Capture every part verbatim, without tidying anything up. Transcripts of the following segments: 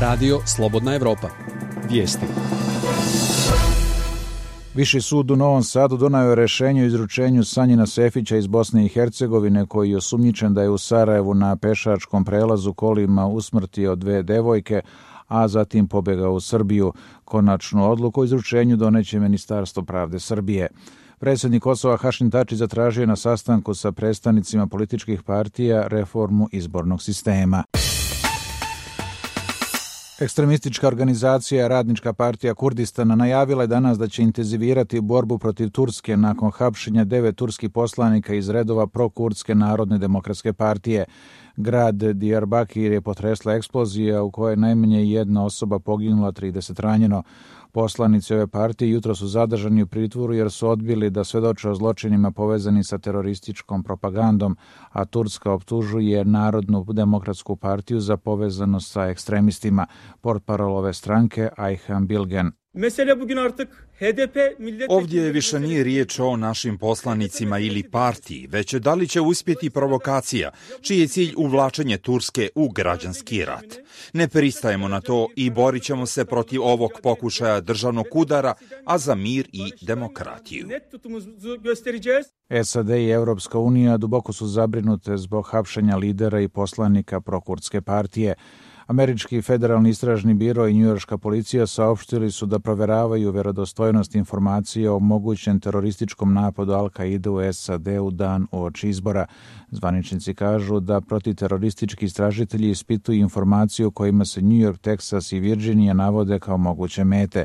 Radio Slobodna Evropa. Vijesti. Viši sud u Novom Sadu donio je rješenje o izručenju Sanjina Sefića iz Bosne i Hercegovine, koji je osumnjičen da je u Sarajevu na pešačkom prelazu kolima usmrtio dve devojke, a zatim pobjegao u Srbiju. Konačnu odluku o izručenju doneće Ministarstvo pravde Srbije. Predsjednik Kosova Hašim Tači zatražio na sastanku sa predstavnicima političkih partija reformu izbornog sistema. Ekstremistička organizacija Radnička partija Kurdistana najavila je danas da će intenzivirati borbu protiv Turske nakon hapšenja devet turskih poslanika iz redova prokurdske Narodne demokratske partije. Grad Diyarbakir je potresla eksplozija u kojoj je najmanje jedna osoba poginula, trideset ranjeno. Poslanici ove partije jutro su zadržani u pritvoru jer su odbili da svedoče o zločinima povezani sa terorističkom propagandom, a Turska optužuje Narodnu demokratsku partiju za povezanost sa ekstremistima. Portparol ove stranke Ayhan Bilgen. Ovdje više nije riječ o našim poslanicima ili partiji, već da li će uspjeti provokacija, čiji je cilj uvlačenje Turske u građanski rat. Ne pristajemo na to i borit ćemo se protiv ovog pokušaja državnog udara, a za mir i demokratiju. S A D i Europska unija duboko su zabrinute zbog hapšenja lidera i poslanika prokurdske partije. Američki federalni istražni biro i njujorška policija saopštili su da provjeravaju vjerodostojnost informacija o mogućem terorističkom napadu Al-Kaide u S A D u dan uoči izbora. Zvaničnici kažu da protiteroristički istražitelji ispituju informaciju kojima se New York, Texas i Virginia navode kao moguće mete.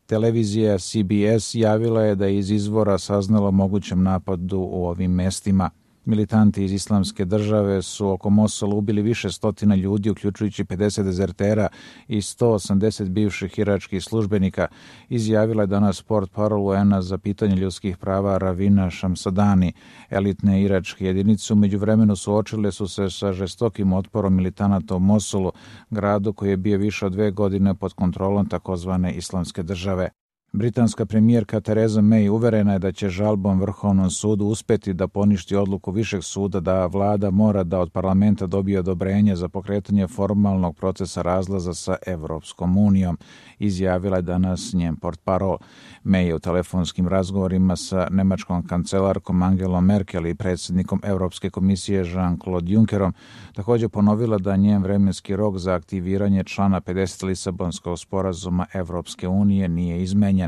Televizija C B S javila je da je iz izvora saznala o mogućem napadu u ovim mestima. Militanti iz Islamske države su oko Mosula ubili više stotina ljudi, uključujući pedeset dezertera i sto osamdeset bivših iračkih službenika, izjavila je danas portparol U N-a za pitanje ljudskih prava Ravina Shamsadani. Elitne iračke jedinice u međuvremenu suočile su se sa žestokim otporom militanata u Mosulu, gradu koji je bio više od dve godine pod kontrolom takozvane Islamske države. Britanska premijerka Theresa May uverena je da će žalbom Vrhovnom sudu uspjeti da poništi odluku Višeg suda da vlada mora da od parlamenta dobije odobrenje za pokretanje formalnog procesa razlaza sa Evropskom unijom, izjavila je danas njen portparol. May je u telefonskim razgovorima sa nemačkom kancelarkom Angelom Merkel i predsjednikom Europske komisije Jean-Claude Junckerom također ponovila da njen vremenski rok za aktiviranje člana pedeset Lisabonskog sporazuma Evropske unije nije izmenjen.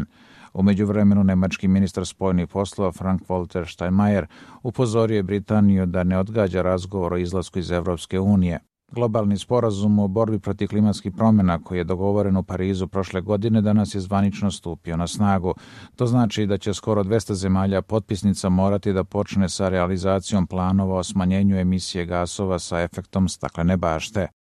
U međuvremenu nemački ministar spoljnih poslova Frank-Walter Steinmeier upozorio je Britaniju da ne odgađa razgovor o izlasku iz Evropske unije. Globalni sporazum o borbi protiv klimatskih promjena koji je dogovoren u Parizu prošle godine danas je zvanično stupio na snagu. To znači da će skoro dvesta zemalja potpisnica morati da počne sa realizacijom planova o smanjenju emisije gasova sa efektom staklene bašte.